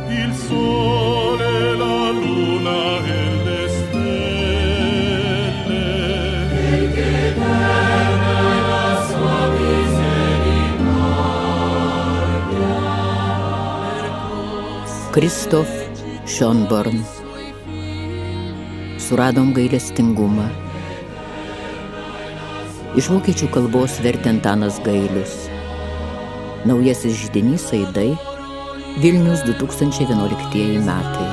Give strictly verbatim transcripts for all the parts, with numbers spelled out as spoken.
il sole, la luna e le stelle, perché eterna è la sua misericordia. Kristof Schönborn. Suradom gailestingumą. Iš vokiečių kalbos vertė Antanas Gailius. Naujasis židinys Aidai, Vilnius du tūkstančiai vienuoliktieji metai.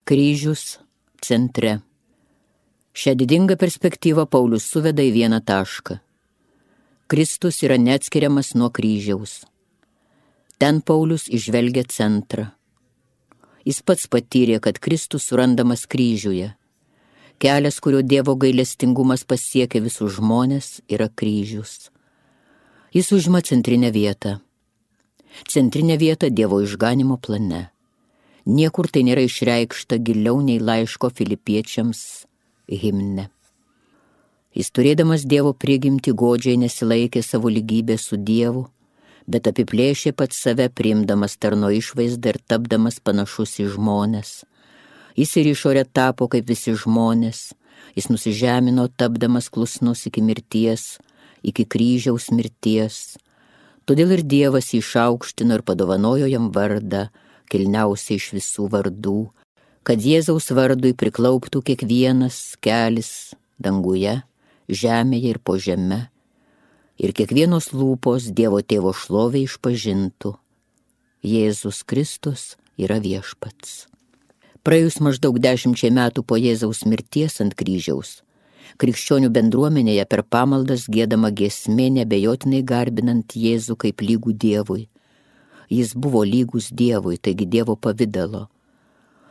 Kryžius centre. Šią didingą perspektyvą Paulius suveda į vieną tašką. Kristus yra neatskiriamas nuo kryžiaus. Ten Paulius įžvelgia centrą. Jis pats patyrė, kad Kristus surandamas kryžiuje. Kelias, kurio Dievo gailestingumas pasiekia visus žmonės, yra kryžius. Jis užima centrinę vietą. Centrinę vietą Dievo išganimo plane. Niekur tai nėra išreikšta giliau nei laiško Filipiečiams himne. Jis turėdamas Dievo prigimtį godžiai nesilaikė savo lygybės su Dievu, bet apiplėšė pats save, priimdamas tarno išvaizdą ir tapdamas panašus į žmones. Jis ir išorė tapo kaip visi žmonės, jis nusižemino, tapdamas klusnus iki mirties, iki kryžiaus mirties. Todėl ir Dievas jį išaukštino ir padovanojo jam vardą, kilniausiai iš visų vardų, kad Jėzaus vardui priklauptų kiekvienas kelis danguje, žemėje ir po žeme, ir kiekvienos lūpos Dievo Tėvo šlovę išpažintų. Jėzus Kristus yra viešpats. Praėjus maždaug dešimčiai metų po Jėzaus mirties ant kryžiaus, krikščionių bendruomenėje per pamaldas giedama giesmė neabejotinai garbinant Jėzų kaip lygų Dievui. Jis buvo lygus Dievui, taigi Dievo pavidalo.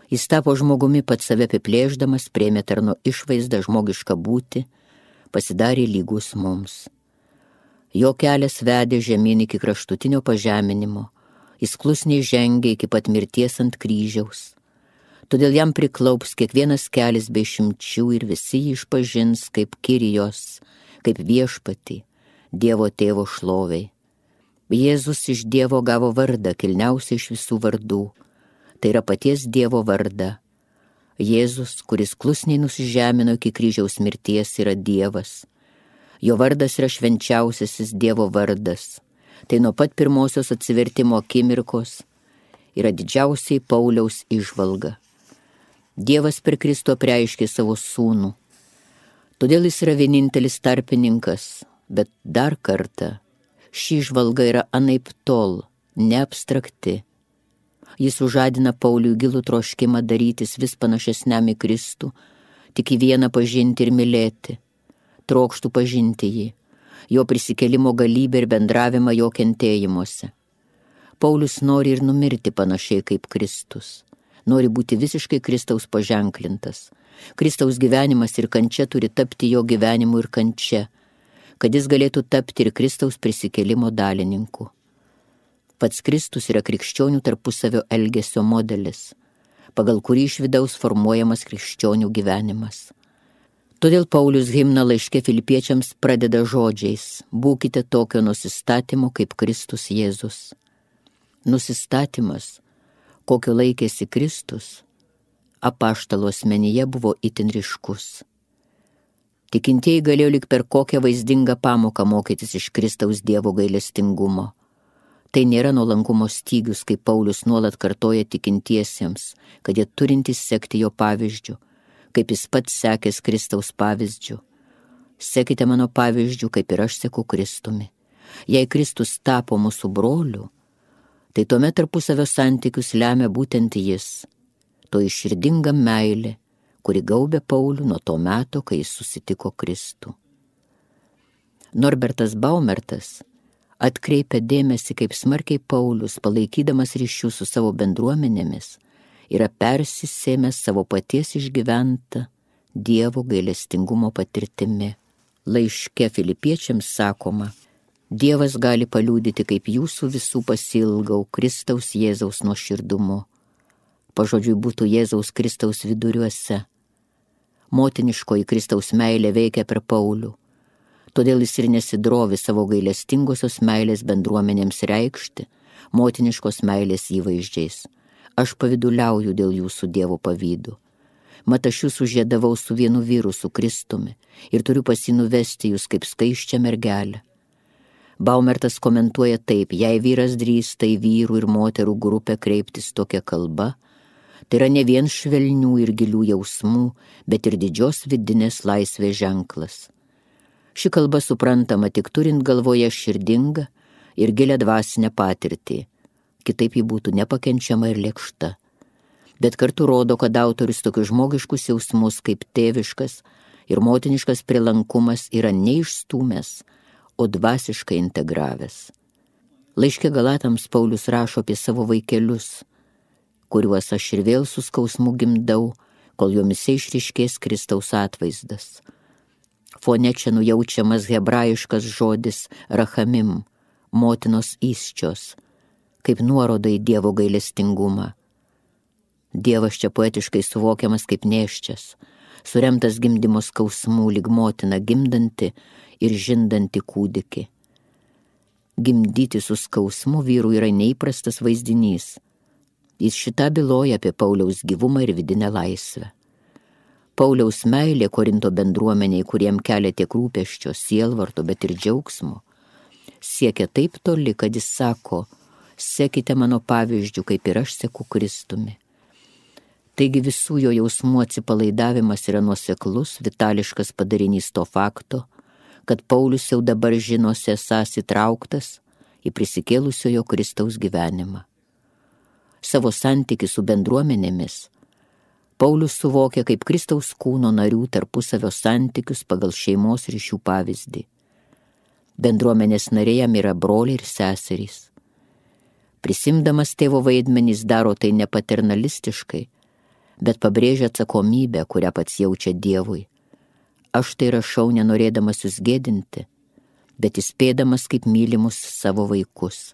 Jis tapo žmogumi pats save apiplėšdamas, priėmė tarno išvaizdą žmogišką būtį, pasidarė lygus mums. Jo kelias vedė žemyn iki kraštutinio pažeminimo, jis klusniai žengė iki pat mirties ant kryžiaus. Todėl jam priklaups kiekvienas kelis be išimčių ir visi jį išpažins kaip Kirijos, kaip viešpatį, Dievo Tėvo šloviai. Jėzus iš Dievo gavo vardą, kilniausiai iš visų vardų, tai yra paties Dievo vardą. Jėzus, kuris klusniai nusižemino iki kryžiaus mirties, yra Dievas. Jo vardas yra švenčiausiasis Dievo vardas. Tai nuo pat pirmosios atsivertimo akimirkos yra didžiausiai Pauliaus įžvalga. Dievas per Kristų apreiškė savo sūnų. Todėl jis yra vienintelis tarpininkas, bet dar kartą ši įžvalga yra anaiptol, neabstrakti. Jis užadina Pauliui gilų troškimą darytis vis panašesniam į Kristų, tik į vieną pažinti ir mylėti. Trokštų pažinti jį, jo prisikėlimo galybę ir bendravimą jo kentėjimuose. Paulius nori ir numirti panašiai kaip Kristus. Nori būti visiškai Kristaus paženklintas. Kristaus gyvenimas ir kančia turi tapti jo gyvenimu ir kančia, kad jis galėtų tapti ir Kristaus prisikėlimo dalininku. Pats Kristus yra krikščionių tarpusavio elgesio modelis, pagal kurį iš vidaus formuojamas krikščionių gyvenimas. Todėl Paulius himną laiške Filipiečiams pradeda žodžiais: būkite tokio nusistatymo kaip Kristus Jėzus. Nusistatymas, kokio laikėsi Kristus, apaštalo asmenyje buvo itin ryškus. Tikintieji galėjo lyg per kokią vaizdingą pamoką mokytis iš Kristaus Dievo gailestingumo. Tai nėra nuolankumo stygius, kaip Paulius nuolat kartoja tikintiesiems, kad jie turintys sekti jo pavyzdžiu, kaip jis pats sekęs Kristaus pavyzdžiu. Sekite mano pavyzdžiu, kaip ir aš seku Kristumi. Jei Kristus tapo mūsų broliu, tai tuomet tarpusavio santykius lemia būtent jis, to iširdinga meilė, kuri gaubė Paulių nuo to meto, kai jis susitiko Kristų. Norbertas Baumertas atkreipia dėmesį, kaip smarkiai Paulius, palaikydamas ryšius su savo bendruomenėmis, yra persisėmęs savo paties išgyventą Dievo gailestingumo patirtimi. Laiške Filipiečiams sakoma: Dievas gali paliudyti, kaip jūsų visų pasilgau Kristaus Jėzaus nuoširdumu. Pažodžiui būtų Jėzaus Kristaus viduriuose. Motiniškoji Kristaus meilė veikia per Paulių. Todėl jis ir nesidrovi savo gailestingosios meilės bendruomenėms reikšti, motiniškos meilės įvaizdžiais. Aš paviduliauju dėl jūsų Dievo pavydų. Mat aš jūs sužėdavau su vienu vyru, su Kristumi, ir turiu pasinuvesti jūs kaip skaiščią mergelę. Baumertas komentuoja taip: jei vyras drįsta į vyrų ir moterų grupę kreiptis tokia kalba, tai yra ne vien švelnių ir gilių jausmų, bet ir didžios vidinės laisvės ženklas. Ši kalba suprantama tik turint galvoje širdingą ir gilią dvasinę patirtį, kitaip ji būtų nepakenčiama ir lėkšta. Bet kartu rodo, kad autorius tokius žmogiškus jausmus kaip tėviškas ir motiniškas prielankumas yra neišstūmęs, o dvasiškai integravęs. Laiške Galatams Paulius rašo apie savo vaikelius, kuriuos aš ir vėl su skausmu gimdau, kol jomise išryškės Kristaus atvaizdas. Fone čia nujaučiamas hebrajiškas žodis rachamim, motinos įsčios, kaip nuoroda į Dievo gailestingumą. Dievas čia poetiškai suvokiamas kaip nėščias, suremtas gimdymo skausmų lyg motina gimdanti ir žindanti kūdikį. Gimdyti su skausmu vyrų yra neįprastas vaizdinys. Jis šitą byloja apie Pauliaus gyvumą ir vidinę laisvę. Pauliaus meilė Korinto bendruomeniai, kuriem kelia tiek rūpesčio, sielvarto, bet ir džiaugsmo, siekia taip toli, kad jis sako: sekite mano pavyzdžių, kaip ir aš seku Kristumi. Taigi visų jo jausmų atsipalaidavimas yra nuoseklus, vitališkas padarinys to fakto, kad Paulius jau dabar žinosi esąs įtrauktas į prisikėlusiojo Kristaus gyvenimą. Savo santykį su bendruomenėmis Paulius suvokia kaip Kristaus kūno narių tarpusavio santykius pagal šeimos ryšių pavyzdį. Bendruomenės nariai jam yra broliai ir seserys. Prisimdamas tėvo vaidmenys daro tai ne paternalistiškai, bet pabrėžia atsakomybę, kurią pats jaučia Dievui. Aš tai rašau nenorėdamas jūs gėdinti, bet įspėdamas kaip mylimus savo vaikus.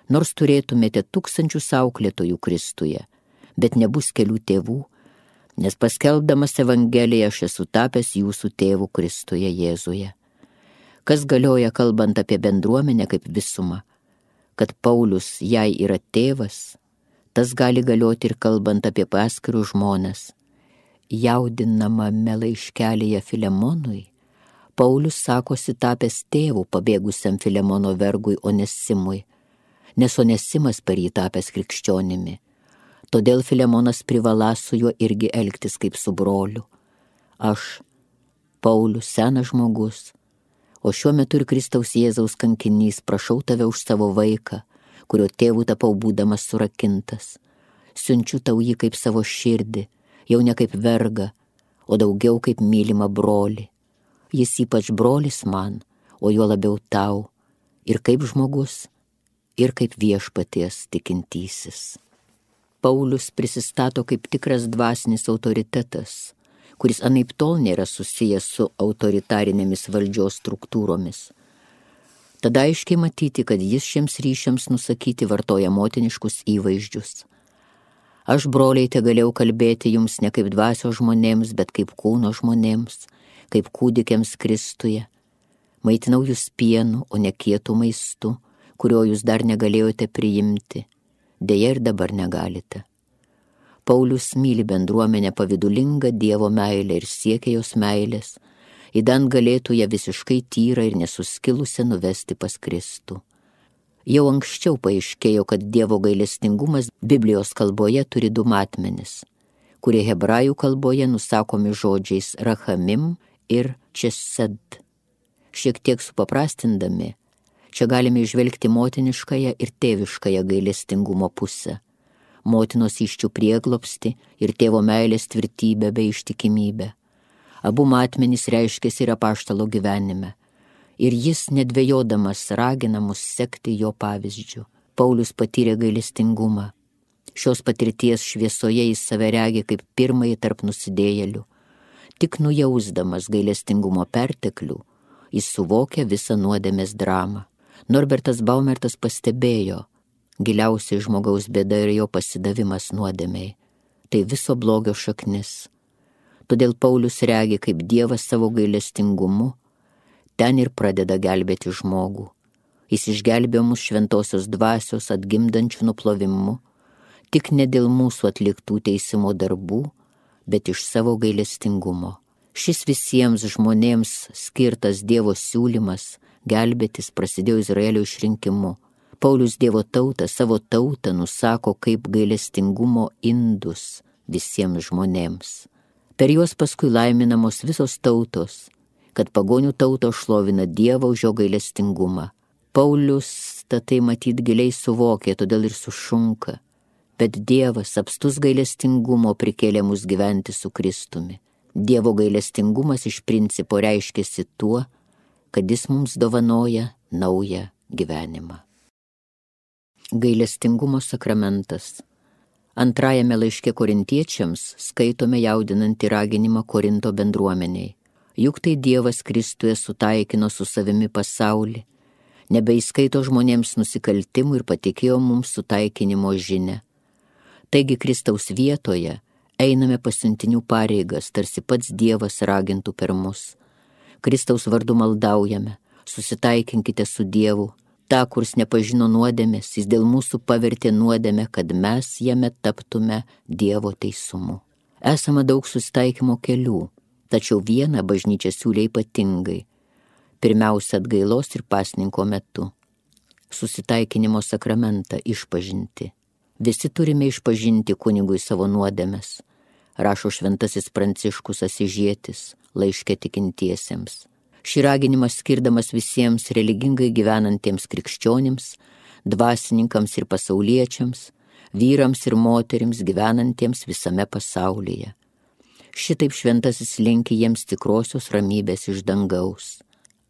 Nors turėtumėte tūkstančius auklėtojų Kristuje, bet nebus kelių tėvų, nes paskelbdamas Evangeliją aš esu tapęs jūsų tėvų Kristuje Jėzuje. Kas galioja kalbant apie bendruomenę kaip visumą, kad Paulius jai yra tėvas, tas gali galioti ir kalbant apie paskirus žmones. Jaudinamame laiškelėje Filemonui, Paulius sakosi tapęs tėvų pabėgusiam Filemono vergui Onesimui, nes Onesimas per jį tapęs krikščionimi. Todėl Filemonas privalą su juo irgi elgtis kaip su broliu. Aš, Paulius, senas žmogus, o šiuo metu ir Kristaus Jėzaus kankinys, prašau tave už savo vaiką, kurio tėvų tapau būdamas surakintas. Siunčiu tau jį kaip savo širdį, jau ne kaip vergą, o daugiau kaip mylimą brolį. Jis ypač brolis man, o juo labiau tau, ir kaip žmogus, ir kaip viešpaties tikintysis. Paulius prisistato kaip tikras dvasinis autoritetas, kuris anaiptol nėra susijęs su autoritarinėmis valdžios struktūromis. Tada aiškiai matyti, kad jis šiems ryšiams nusakyti vartoja motiniškus įvaizdžius. Aš, broliai, te galėjau kalbėti jums ne kaip dvasios žmonėms, bet kaip kūno žmonėms, kaip kūdikiams Kristuje. Maitinau jūs pienu, o ne kietų maistu, kurio jūs dar negalėjote priimti. Deja ir dabar negalite. Paulius myli bendruomenę pavidulingą Dievo meilę ir siekia jos meilės, įdant galėtų ją visiškai tyrą ir nesuskilusią nuvesti pas Kristų. Jau anksčiau paaiškėjo, kad Dievo gailestingumas Biblijos kalboje turi du matmenis, kurie hebrajų kalboje nusakomi žodžiais rachamim ir česed. Šiek tiek supaprastindami, čia galime išvelgti motiniškąją ir tėviškąją gailestingumo pusę, motinos įsčių prieglobstį ir tėvo meilės tvirtybę bei ištikimybę. Abu matmenys reiškėsi ir apaštalo gyvenime, ir jis nedvejodamas ragina mus sekti jo pavyzdžiu. Paulius patyrė gailestingumą. Šios patirties šviesoje jis save regi kaip pirmąjį tarp nusidėjėlių. Tik nujausdamas gailestingumo perteklių, jis suvokia visą nuodėmės dramą. Norbertas Baumertas pastebėjo, giliausiai žmogaus bėda ir jo pasidavimas nuodėmei. Tai viso blogio šaknis. Todėl Paulius regi, kaip Dievas savo gailestingumu ten ir pradeda gelbėti žmogų. Jis išgelbėjo mus šventosios dvasios atgimdančių nuplovimu, tik ne dėl mūsų atliktų teisimo darbų, bet iš savo gailestingumo. Šis visiems žmonėms skirtas Dievo siūlymas gelbėtis prasidėjo Izraelio išrinkimu. Paulius Dievo tautą, savo tautą nusako kaip gailestingumo indus visiems žmonėms. Per juos paskui laiminamos visos tautos, kad pagonių tautos šlovina Dievą už jo gailestingumą. Paulius tai matyt giliai suvokė, todėl ir sušunka. Bet Dievas apstus gailestingumo prikėlė mus gyventi su Kristumi. Dievo gailestingumas iš principo reiškiasi tuo, kad jis mums dovanoja naują gyvenimą. Gailestingumo sakramentas. Antrajame laiške korintiečiams skaitome jaudinantį raginimą Korinto bendruomeniai. Juk tai Dievas Kristuje sutaikino su savimi pasaulį, nebeįskaito žmonėms nusikaltimų ir patikėjo mums sutaikinimo žinią. Taigi Kristaus vietoje einame pasiuntinių pareigas, tarsi pats Dievas ragintų per mus. Kristaus vardu maldaujame, susitaikinkite su Dievu, tą, kurs nepažino nuodėmės, jis dėl mūsų pavertė nuodėmę, kad mes jame taptume Dievo teisumu. Esama daug susitaikymo kelių, tačiau vieną bažnyčia siūlė ypatingai. Pirmiausia atgailos ir pasninko metu. Susitaikinimo sakramentą išpažinti. Visi turime išpažinti kunigui savo nuodėmes, rašo šventasis Pranciškus Asižietis laiške tikintiesiems. Šį raginimą skirdamas visiems religingai gyvenantiems krikščionims, dvasininkams ir pasauliečiams, vyrams ir moterims gyvenantiems visame pasaulyje. Šitaip šventasis linki jiems tikrosios ramybės iš dangaus.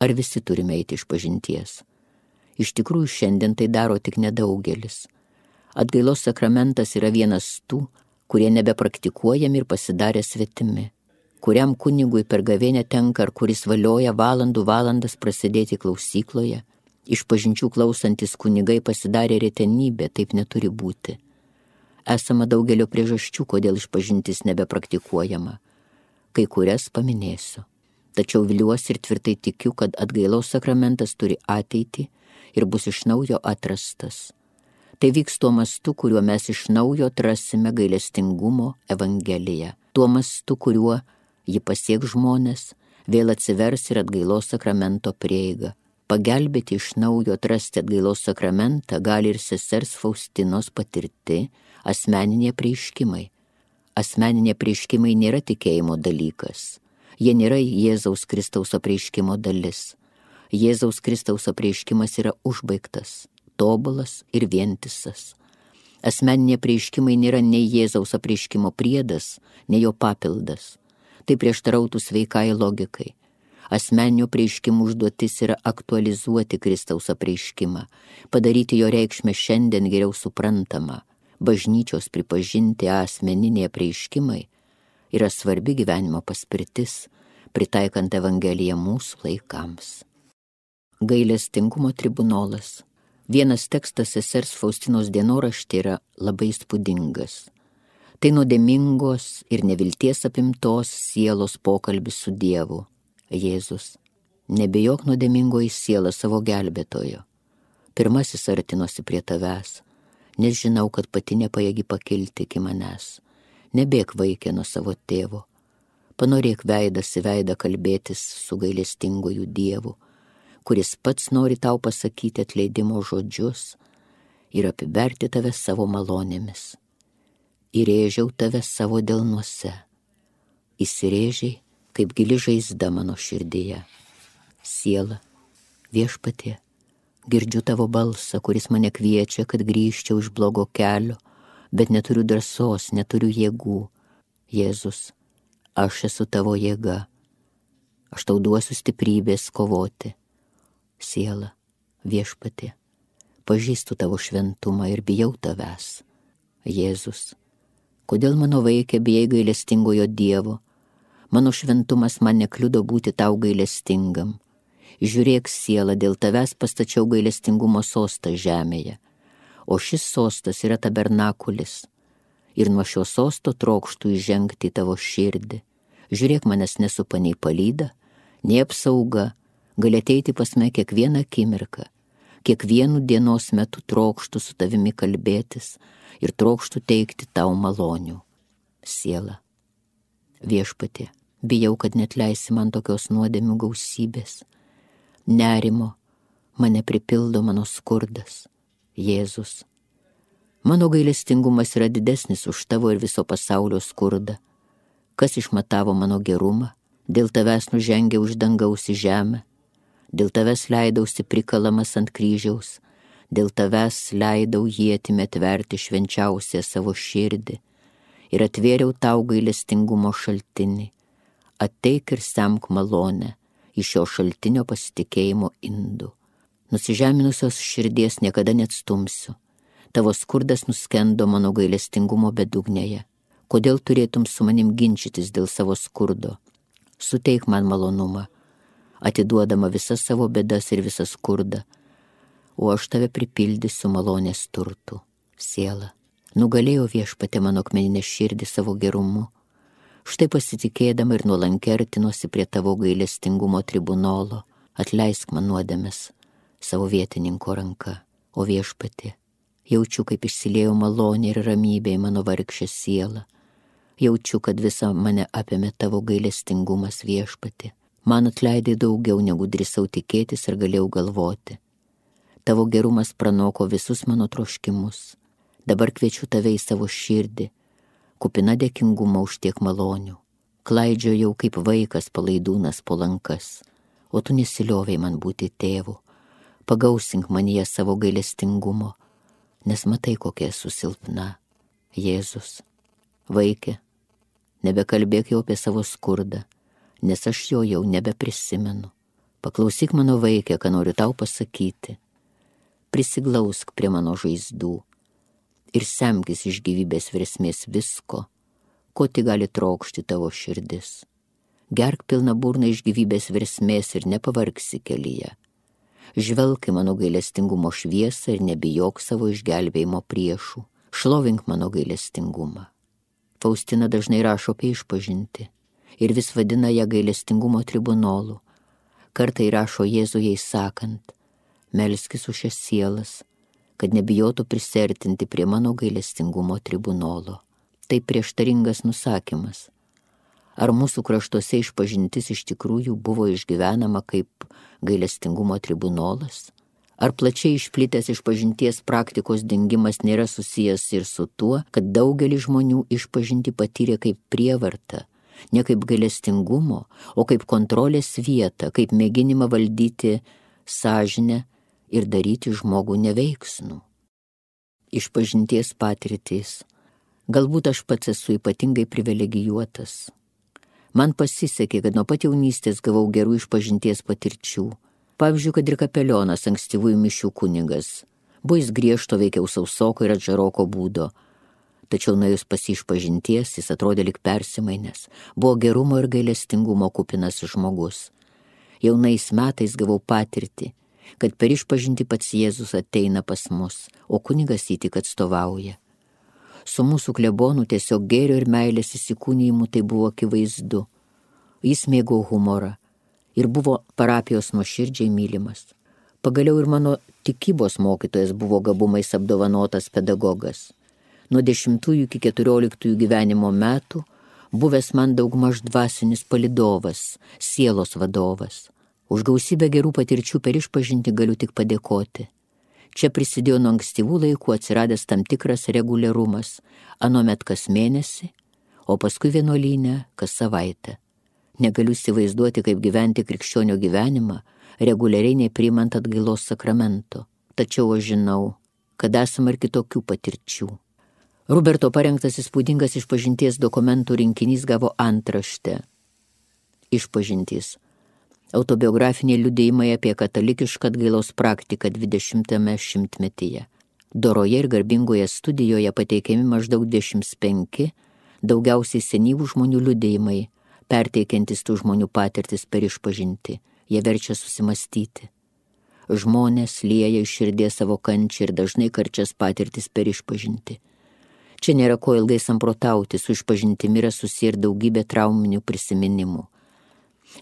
Ar visi turime eiti išpažinties? Iš tikrųjų šiandien tai daro tik nedaugelis. Atgailos sakramentas yra vienas tų, kurie nebepraktikuojami ir pasidarė svetimi, kuriam kunigui per gavėnią tenka ar kuris valioja valandų valandas prasidėti klausykloje. Išpažinčių klausantis kunigai pasidarė retenybė, taip neturi būti. Esama daugelio priežasčių, kodėl išpažintis nebepraktikuojama. Kai kurias paminėsiu. Tačiau viliuosi ir tvirtai tikiu, kad atgailos sakramentas turi ateitį ir bus iš naujo atrastas. Tai vyks tuo mastu, kuriuo mes iš naujo atrasime gailestingumo evangeliją. Tuo mastu, kuriuo ji pasieks žmonės, vėl atsivers ir atgailos sakramento prieiga. Pagelbėti iš naujo atrasti atgailos sakramentą gali ir sesers Faustinos patirti asmeniniai apreiškimai. Asmeniniai apreiškimai nėra tikėjimo dalykas. Jie nėra Jėzaus Kristaus apreiškimo dalis. Jėzaus Kristaus apreiškimas yra užbaigtas, tobulas ir vientisas. Asmeniniai apreiškimai nėra nei Jėzaus apreiškimo priedas, nei jo papildas. Tai prieštarautų sveikai logikai. Asmeninių apreiškimų užduotis yra aktualizuoti Kristaus apreiškimą, padaryti jo reikšmę šiandien geriau suprantamą. Bažnyčios pripažinti asmeniniai apreiškimai yra svarbi gyvenimo paspirtis, pritaikant Evangeliją mūsų laikams. Gailestingumo tribunolas. Vienas tekstas sesers Faustinos dienoraštį yra labai įspūdingas. Tai nuodėmingos ir nevilties apimtos sielos pokalbis su Dievu. Jėzus, nebijok nuodėmingoji siela savo gelbėtojo. Pirmasis artinosi prie tavęs, nes žinau, kad pati nepajėgi pakilti iki manęs. Nebėk vaikė nuo savo tėvo. Panorėk veidas į veidą kalbėtis su gailestingoju Dievu, kuris pats nori tau pasakyti atleidimo žodžius ir apiberti tave savo malonėmis. Įrėžiau tave savo delnuose. Įsirėžiai, kaip gili žaizda mano širdyje. Siela, viešpatie, girdžiu tavo balsą, kuris mane kviečia, kad grįžčiau iš blogo kelio, bet neturiu drąsos, neturiu jėgų. Jėzus, aš esu tavo jėga. Aš tau duosiu stiprybės kovoti. Siela, viešpatie, pažįstu tavo šventumą ir bijau tavęs. Jėzus, kodėl mano vaikė bijai gailestingojo Dievo? Mano šventumas man nekliudo būti tau gailestingam. Žiūrėk, siela, dėl tavęs pastačiau gailestingumo sostą žemėje, o šis sostas yra tabernakulis, ir nuo šio sosto trokštų įžengti į tavo širdį. Žiūrėk, manęs nesupa nei palyda, nei apsauga, gali ateiti pas mane kiekvieną akimirką. Kiekvienu dienos metu trokštų su tavimi kalbėtis ir trokštų teikti tau malonių. Siela. Viešpatie, bijau, kad net leisi man tokios nuodėmių gausybės. Nerimo mane pripildo mano skurdas. Jėzus. Mano gailestingumas yra didesnis už tavo ir viso pasaulio skurdą. Kas išmatavo mano gerumą, dėl tavęs nužengė už dangaus į žemę. Dėl tavęs leidausi prikalamas ant kryžiaus, dėl tavęs leidau ietimi atverti švenčiausią savo širdį ir atvėriau tau gailestingumo šaltinį. Ateik ir semk malonę iš šio šaltinio pasitikėjimo indų. Nusižeminusios širdies niekada neatstumsiu. Tavo skurdas nuskendo mano gailestingumo bedugnėje. Kodėl turėtum su manim ginčytis dėl savo skurdo? Suteik man malonumą, atiduodama visas savo bėdas ir visą skurdą, o aš tave pripildysiu malonės turtų. Siela, nugalėjo Viešpatie mano akmeninę širdį savo gerumu. Štai pasitikėdama ir nuolankiai artinosi prie tavo gailestingumo tribunolo, atleisk man nuodėmes savo vietininko ranka. O Viešpatie, jaučiu, kaip išsiliejo malonė ir ramybė į mano vargšę sielą. Jaučiu, kad visa mane apėmė tavo gailestingumas, Viešpatie. Man atleidai daugiau, negu drįsau tikėtis ir galėjau galvoti. Tavo gerumas pranoko visus mano troškimus. Dabar kviečiu tave į savo širdį, kupina dėkingumo už tiek malonių. Klaidžiojau kaip vaikas palaidūnas po lankas, o tu nesiliovei man būti tėvu. Pagausink manyje savo gailestingumo, nes matai, kokia esu silpna. Jėzus, vaikė, nebekalbėk jau apie savo skurdą, nes aš jo jau nebeprisimenu. Paklausyk mano vaikė, ką noriu tau pasakyti. Prisiglausk prie mano žaizdų ir semkis iš gyvybės versmės visko, ko tik gali trokšti tavo širdis. Gerk pilną burną iš gyvybės versmės ir nepavargsi kelyje. Žvelk į mano gailestingumo šviesą ir nebijok savo išgelbėjimo priešų. Šlovink mano gailestingumą. Faustina dažnai rašo apie išpažintį ir vis vadina ją gailestingumo tribunolu. Kartai rašo Jėzuje įsakant, melskis už šias sielas, kad nebijotų prisertinti prie mano gailestingumo tribunolo. Tai prieštaringas nusakymas. Ar mūsų kraštuose išpažintis iš tikrųjų buvo išgyvenama kaip gailestingumo tribunolas? Ar plačiai išplitęs išpažinties praktikos dingimas nėra susijęs ir su tuo, kad daugelis žmonių išpažinti patyrė kaip prievartą, ne kaip gailestingumo, o kaip kontrolės vietą, kaip mėginimą valdyti sąžinę ir daryti žmogų neveiksnų? Išpažinties patirtys. Galbūt aš pats esu ypatingai privilegijuotas. Man pasisekė, kad nuo pat jaunystės gavau gerų išpažinties patirčių. Pavyzdžiui, kad ir kapelionas, ankstyvųjų mišių kunigas. Buvo jis griežto, veikiau sausoko ir atžaroko būdo. Tačiau nuėjus pas jį išpažinties, jis atrodė lyg persimainęs. Buvo gerumo ir gailestingumo kupinas žmogus. Jaunais metais gavau patirtį, kad per išpažinti pats Jėzus ateina pas mus, o kunigas jį tik atstovauja. Su mūsų klebonu tiesiog gėrio ir meilės įsikūnijimu tai buvo akivaizdu. Jis mėgo humorą ir buvo parapijos nuoširdžiai mylimas. Pagaliau ir mano tikybos mokytojas buvo gabumais apdovanotas pedagogas. Nuo dešimtųjų iki keturioliktųjų gyvenimo metų buvęs man daugmaž dvasinis palydovas, sielos vadovas. Už gausybę gerų patirčių per išpažinti galiu tik padėkoti. Čia prisidėjo nuo ankstyvų laikų atsiradęs tam tikras reguliarumas, anuomet kas mėnesį, o paskui vienuolyne kas savaitę. Negaliu įsivaizduoti, kaip gyventi krikščionio gyvenimą, reguliariai nepriimant atgailos sakramento. Tačiau aš žinau, kad esama ir kitokių patirčių. Ruberto parengtas įspūdingas išpažinties dokumentų rinkinys gavo antraštę. Išpažintys. Autobiografiniai liudijimai apie katalikišką atgailos praktiką dvidešimtame šimtmetyje. Doroje ir garbingoje studijoje pateikiami maždaug dvidešimt penki, daugiausiai senyvų žmonių liudijimai, perteikiantis tų žmonių patirtis per išpažinti. Jie verčia susimastyti. Žmonės lieja iš širdies savo kančią ir dažnai karčias patirtis per išpažinti. Čia nėra ko ilgai samprotauti, su išpažintimi yra susiję ir daugybė trauminių prisiminimų.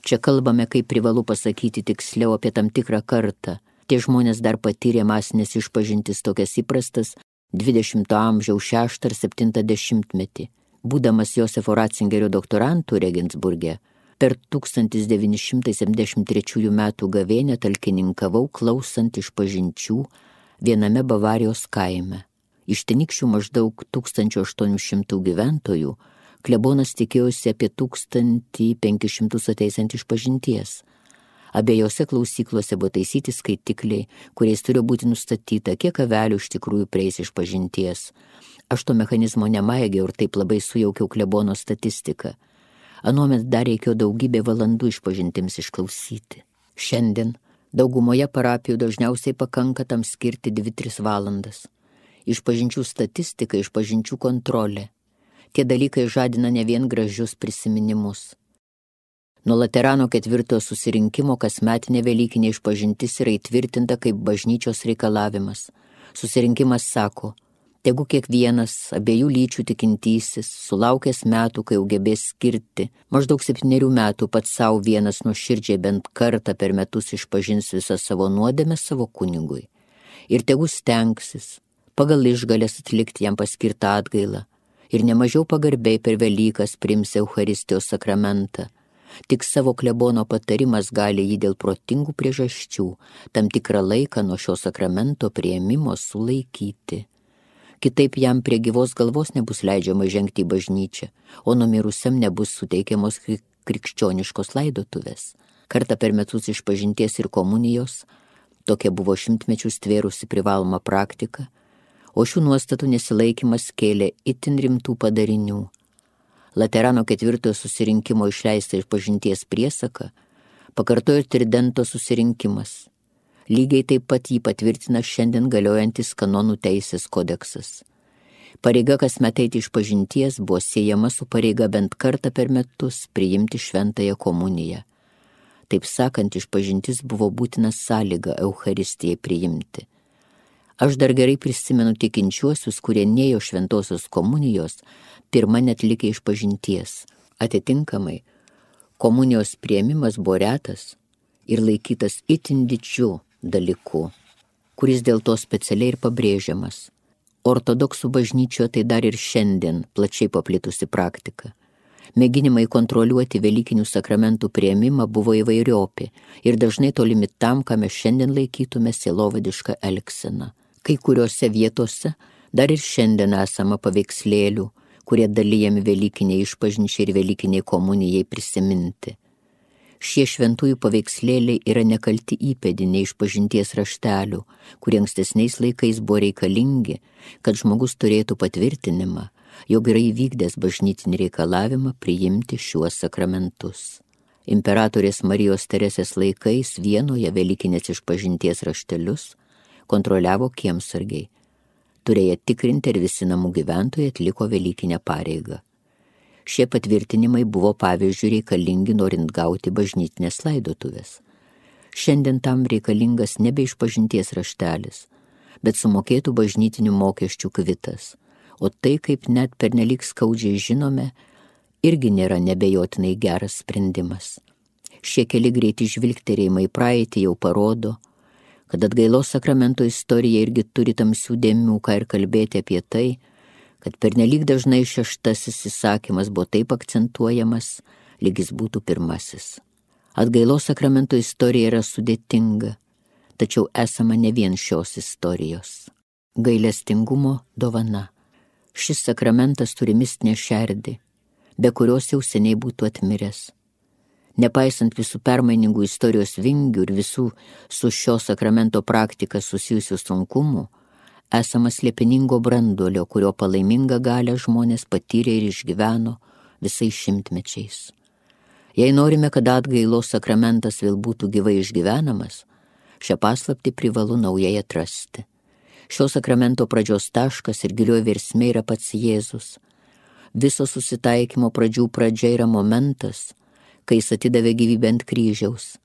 Čia kalbame, kaip privalu pasakyti tiksliau apie tam tikrą kartą. Tie žmonės dar patyrė masinės išpažintis tokias įprastas dvidešimto amžiaus šeštą ar septintą dešimtmetį. Būdamas Josefo Ratzingerio doktorantų Regensburge, per tūkstantis devyni šimtai septyniasdešimt trečiųjų metų gavėnią talkininkavau klausant išpažinčių viename Bavarijos kaime. Iš tenykščių maždaug tūkstančio aštuonių šimtų gyventojų klebonas tikėjosi apie tūkstantį penkis šimtus ateisiant išpažinties. Abiejose klausyklose buvo taisyti skaitikliai, kuriais turėjo būti nustatyta, kiek avelių iš tikrųjų prieis išpažinties. Aš to mechanizmo nemaigiau ir taip labai sujaukiau klebono statistiką. Anuomet dar reikėjo daugybė valandų išpažintims išklausyti. Šiandien daugumoje parapijų dažniausiai pakanka tam skirti dvi tris valandas. Išpažinčių statistika, išpažinčių kontrolė. Tie dalykai žadina ne vien gražius prisiminimus. Nuo Laterano ketvirtojo susirinkimo kasmetinė velykinė išpažintis yra įtvirtinta kaip bažnyčios reikalavimas. Susirinkimas sako, tegu kiekvienas abiejų lyčių tikintysis, sulaukęs metų, kai jau gebės skirti, maždaug septynerių metų pats savo vienas nuoširdžiai bent kartą per metus išpažins visą savo nuodėmę savo kunigui. Ir tegu stengsis pagal išgalės atlikti jam paskirtą atgailą ir nemažiau pagarbiai per Velykas priims Eucharistijos sakramentą. Tik savo klebono patarimas gali jį dėl protingų priežasčių tam tikrą laiką nuo šio sakramento priėmimo sulaikyti. Kitaip jam prie gyvos galvos nebus leidžiama žengti į bažnyčią, o numirusiam nebus suteikiamos krikščioniškos laidotuvės. Kartą per metus išpažinties ir komunijos, tokia buvo šimtmečius tvėrusi privaloma praktika, o šių nuostatų nesilaikymas kėlė itin rimtų padarinių. Laterano ketvirtojo susirinkimo išleista išpažinties priesaka pakartojo Tridento susirinkimas. Lygiai taip pat jį patvirtina šiandien galiojantis kanonų teisės kodeksas. Pareiga kasmet eiti išpažinties buvo siejama su pareiga bent kartą per metus priimti šventąją komuniją. Taip sakant, išpažintis buvo būtina sąlyga Eucharistijai priimti. Aš dar gerai prisimenu tikinčiuosius, kurie nėjo šventosios komunijos, pirma netlikė išpažinties. Atitinkamai, komunijos priėmimas buvo retas ir laikytas itin didžiu dalyku, kuris dėl to specialiai ir pabrėžiamas. Ortodoksų bažnyčioje tai dar ir šiandien plačiai paplitusi praktika. Mėginimai kontroliuoti velykinių sakramentų priėmimą buvo įvairiopi ir dažnai tolimi tam, ką mes šiandien laikytume sielovadišką elgseną. Kai kuriuose vietose dar ir šiandien esama paveikslėlių, kurie dalijami velykiniai išpažinčiai ir velykiniai komunijai prisiminti. Šie šventųjų paveikslėliai yra nekalti įpėdiniai išpažinties raštelių, kurie ankstesniais laikais buvo reikalingi, kad žmogus turėtų patvirtinimą, jog yra įvykdęs bažnytinį reikalavimą priimti šiuos sakramentus. Imperatorės Marijos Teresės laikais Vienoje velykinės išpažinties raštelius kontroliavo kiemsargiai. Turėję tikrinti, ar visi namų gyventojai atliko velykinę pareigą. Šie patvirtinimai buvo pavyzdžiui reikalingi norint gauti bažnytinės laidotuvės. Šiandien tam reikalingas nebe išpažinties raštelis, bet sumokėtų bažnytinių mokesčių kvitas, o tai, kaip net pernelyg skaudžiai žinome, irgi nėra nebejotinai geras sprendimas. Šie keli greiti žvilgterėjimai praeitį jau parodo, kad atgailos sakramento istorija irgi turi tamsių dėmių, ką ir kalbėti apie tai, kad pernelyg dažnai šeštasis įsakymas buvo taip akcentuojamas, lyg jis būtų pirmasis. Atgailos sakramento istorija yra sudėtinga, tačiau esama ne vien šios istorijos. Gailestingumo dovana. Šis sakramentas turi mistinę šerdį, be kurios jau seniai būtų atmiręs. Nepaisant visų permainingų istorijos vingių ir visų su šio sakramento praktika susijusių sunkumų, esama slėpiningo branduolio, kurio palaimingą galią žmonės patyrė ir išgyveno visais šimtmečiais. Jei norime, kad atgailos sakramentas vėl būtų gyvai išgyvenamas, šią paslaptį privalu naujai atrasti. Šio sakramento pradžios taškas ir gilioji versmė yra pats Jėzus. Viso susitaikymo pradžių pradžia yra momentas, kai jis atidavė gyvybę ant kryžiaus.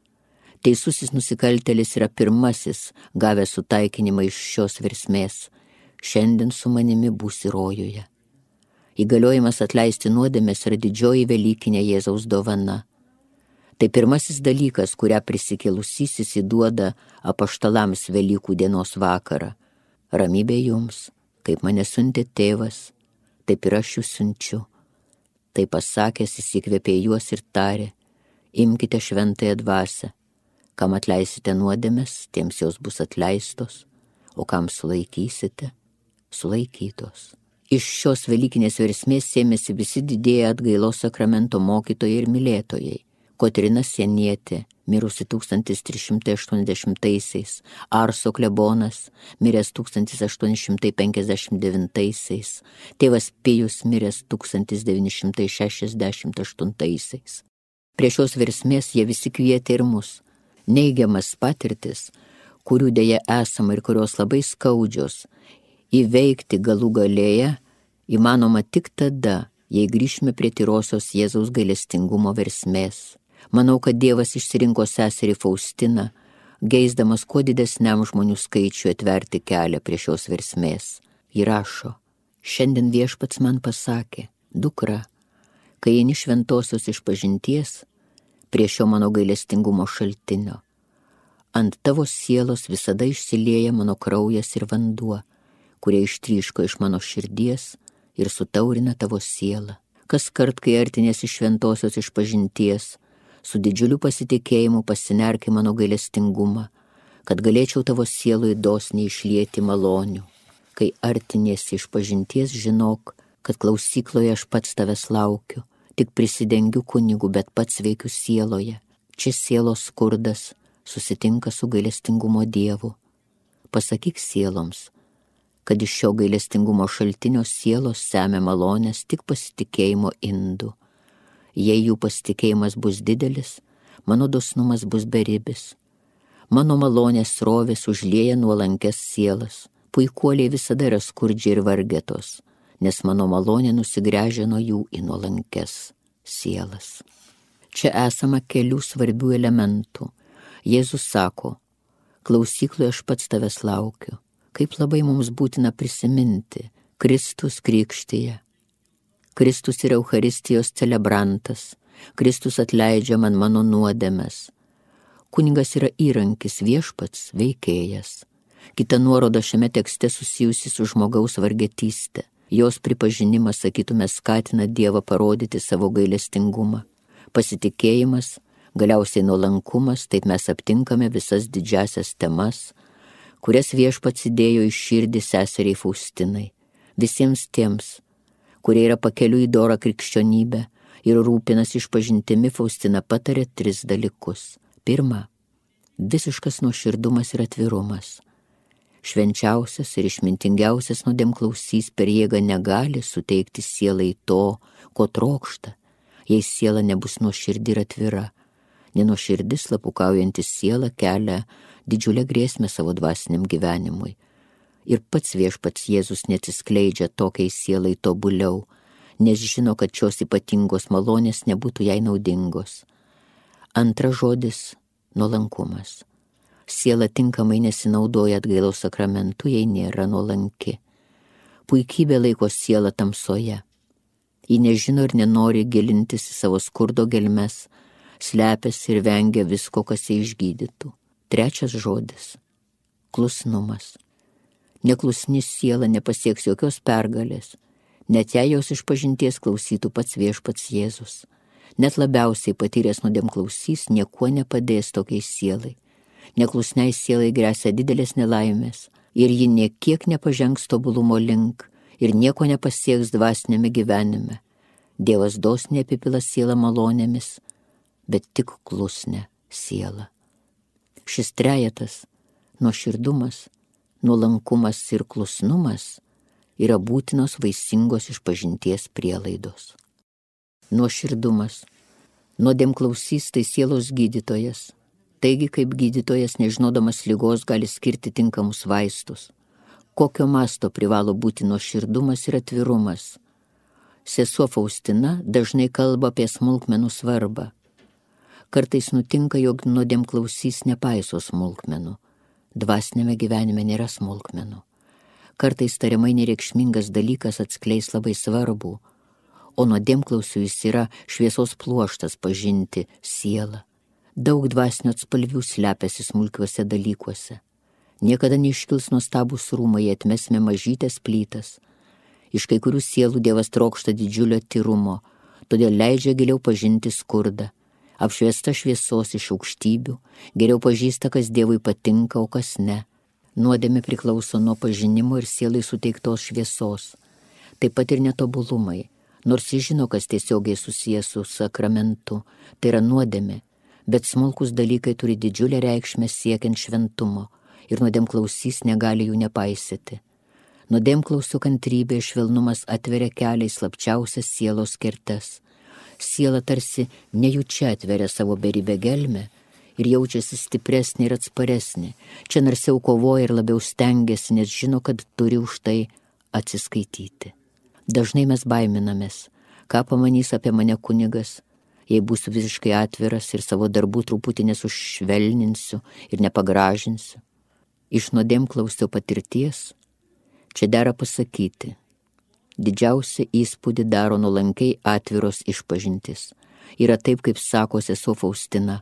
Teisusis nusikaltėlis yra pirmasis, gavęs sutaikinimą iš šios versmės. Šiandien su manimi būsi rojuje. Įgaliojimas atleisti nuodėmes yra didžioji velykinė Jėzaus dovana. Tai pirmasis dalykas, kurią prisikėlusysis įduoda apaštalams Velykų dienos vakarą. Ramybė jums, kaip mane siuntė tėvas, taip ir aš jūs siunčiu. Tai pasakęs įsikvėpė juos ir tarė, imkite šventąją dvasią, kam atleisite nuodėmes, tiems jos bus atleistos, o kam sulaikysite, sulaikytos. Iš šios velykinės versmės sėmėsi visi didieji atgailos sakramento mokytojai ir mylėtojai. Kotryna Sienietė, mirusi tūkstantis trys šimtai aštuoniasdešimtaisiais, Arso klebonas, miręs tūkstantis aštuoni šimtai penkiasdešimt devintaisiais, tėvas Pijus, miręs tūkstantis devyni šimtai šešiasdešimt aštuntaisiais. Prie šios versmės jie visi kvietė ir mus. Neigiamas patirtis, kurių dėja esama ir kurios labai skaudžios, įveikti galų galėje įmanoma tik tada, jei grįžime prie tyrosios Jėzaus gailestingumo versmės. Manau, kad Dievas išsirinko seserį Faustiną, geisdamas kuo didesniam žmonių skaičiui atverti kelią prie šios versmės. Ji rašo, šiandien viešpats man pasakė, dukra, kai eini šventosios išpažinties, prie šio mano gailestingumo šaltinio, ant tavo sielos visada išsilieja mano kraujas ir vanduo, kurie ištryško iš mano širdies ir sutaurina tavo sielą. Kas kart, kai artinėsi šventosios išpažinties, su didžiuliu pasitikėjimu pasinerk į mano gailestingumą, kad galėčiau tavo sielui dosniai išlieti malonių. Kai artinėsi išpažinties, žinok, kad klausykloje aš pats tavęs laukiu, tik prisidengiu kunigu, bet pats veikiu sieloje. Čia sielos skurdas susitinka su gailestingumo Dievu. Pasakyk sieloms, kad iš šio gailestingumo šaltinio sielos semia malonės tik pasitikėjimo indu. Jei jų pasitikėjimas bus didelis, mano dosnumas bus beribis. Mano malonės srovės užlieja nuolankes sielas. Puikuoliai visada yra skurdžiai ir vargetos, nes mano malonė nusigręžia nuo jų į nuolankes sielas. Čia esama kelių svarbių elementų. Jėzus sako, klausykloje aš pats tavęs laukiu. Kaip labai mums būtina prisiminti, Kristus krikštyje. Kristus yra Eucharistijos celebrantas, Kristus atleidžia man mano nuodėmes. Kunigas yra įrankis, viešpats, veikėjas. Kita nuoroda šiame tekste susijusi su žmogaus vargetystė. Jos pripažinimas, sakytume, skatina Dievą parodyti savo gailestingumą. Pasitikėjimas, galiausiai nuolankumas, taip mes aptinkame visas didžiasias temas, kurias viešpats įdėjo į širdį seseriai Faustinai. Visiems tiems, kurie yra pakeliui į dorą krikščionybę ir rūpinas išpažintimi, Faustina patarė tris dalykus. Pirma, visiškas nuoširdumas ir atvirumas. Švenčiausias ir išmintingiausias nuodėmklausys per jėgą negali suteikti sielai to, ko trokšta, jei siela nebus nuoširdi ir atvira. Nenuoširdi slapukaujantis siela kelia didžiulę grėsmę savo dvasiniam gyvenimui. Ir pats viešpats Jėzus neatsiskleidžia tokiai sielai tobuliau, nes žino, kad šios ypatingos malonės nebūtų jai naudingos. Antras žodis – nuolankumas. Siela tinkamai nesinaudoja atgailos sakramentu, jei nėra nuolanki. Puikybė laiko sielą tamsoje. Ji nežino ir nenori gilintis į savo skurdo gelmes, slepiasi ir vengia visko, kas ją išgydytų. Trečias žodis – klusnumas. Neklusni siela nepasieks jokios pergalės, net jei jos išpažinties klausytų pats viešpats Jėzus. Net labiausiai patyręs nuodėmklausys niekuo nepadės tokiai sielai. Neklusniai sielai gresia didelės nelaimės ir ji niekiek nepažengs tobulumo link ir nieko nepasieks dvasinėme gyvenime. Dievas dosniai apipila sielą malonėmis, bet tik klusnę sielą. Šis trejetas – nuoširdumas, nuolankumas ir klusnumas yra būtinos vaisingos išpažinties prielaidos. Nuoširdumas. Nuodėmklausys tai sielos gydytojas. Taigi, kaip gydytojas, nežinodamas ligos, gali skirti tinkamus vaistus. Kokio masto privalo būti nuoširdumas ir atvirumas? Sesuo Faustina dažnai kalba apie smulkmenų svarbą. Kartais nutinka, jog nuodėmklausys nepaiso smulkmenų. Dvasinėme gyvenime nėra smulkmenų. Kartais tariamai nereikšmingas dalykas atskleis labai svarbu, o nuodėmklausių jis yra šviesos pluoštas pažinti sielą. Daug dvasinio atspalvių slepiasi smulkiuose dalykuose. Niekada neiškils nuostabūs rūmai, atmesime mažytės plytas. Iš kai kurių sielų Dievas trokšta didžiulio tyrumo, todėl leidžia giliau pažinti skurdą. Apšviesta šviesos iš aukštybių, geriau pažįsta, kas Dievui patinka, o kas ne. Nuodėmė priklauso nuo pažinimo ir sielai suteiktos šviesos. Taip pat ir netobulumai, nors jis žino, kas tiesiogiai susijęs su sakramentu, tai yra nuodėmė, bet smulkus dalykai turi didžiulę reikšmę siekiant šventumo ir nuodėmklausys negali jų nepaisyti. Nuodėmklausio kantrybė ir švelnumas atveria kelią į slapčiausias sielos kertes. Siela tarsi nejučia atveria savo beribę gelmę ir jaučiasi stipresnė ir atsparesnė. Čia narsiau kovoja ir labiau stengiasi, nes žino, kad turi už tai atsiskaityti. Dažnai mes baiminamės, ką pamanys apie mane kunigas, jei būsiu visiškai atviras ir savo darbų truputį nesušvelninsiu ir nepagražinsiu. Iš nuodėmklausio patirties čia dera pasakyti, didžiausią įspūdį daro nuolankiai atviros išpažintis. Yra taip, kaip sako sesuo Faustina,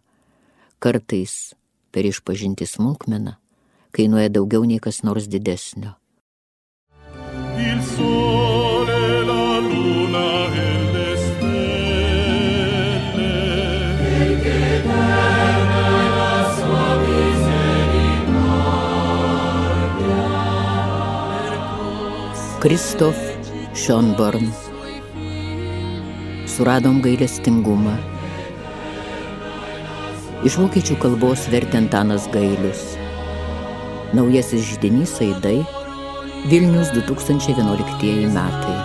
kartais per išpažinti smulkmeną kainuoja daugiau nei kas nors didesnio. Il sole, la luna e le stelle, perché terra la sua misericordia. Kristof Schönborn. Suradom gailestingumą. Iš vokiečių kalbos vertė Antanas Gailius. Naujasis židinys Aidai, Vilnius du tūkstančiai vienuoliktieji metai.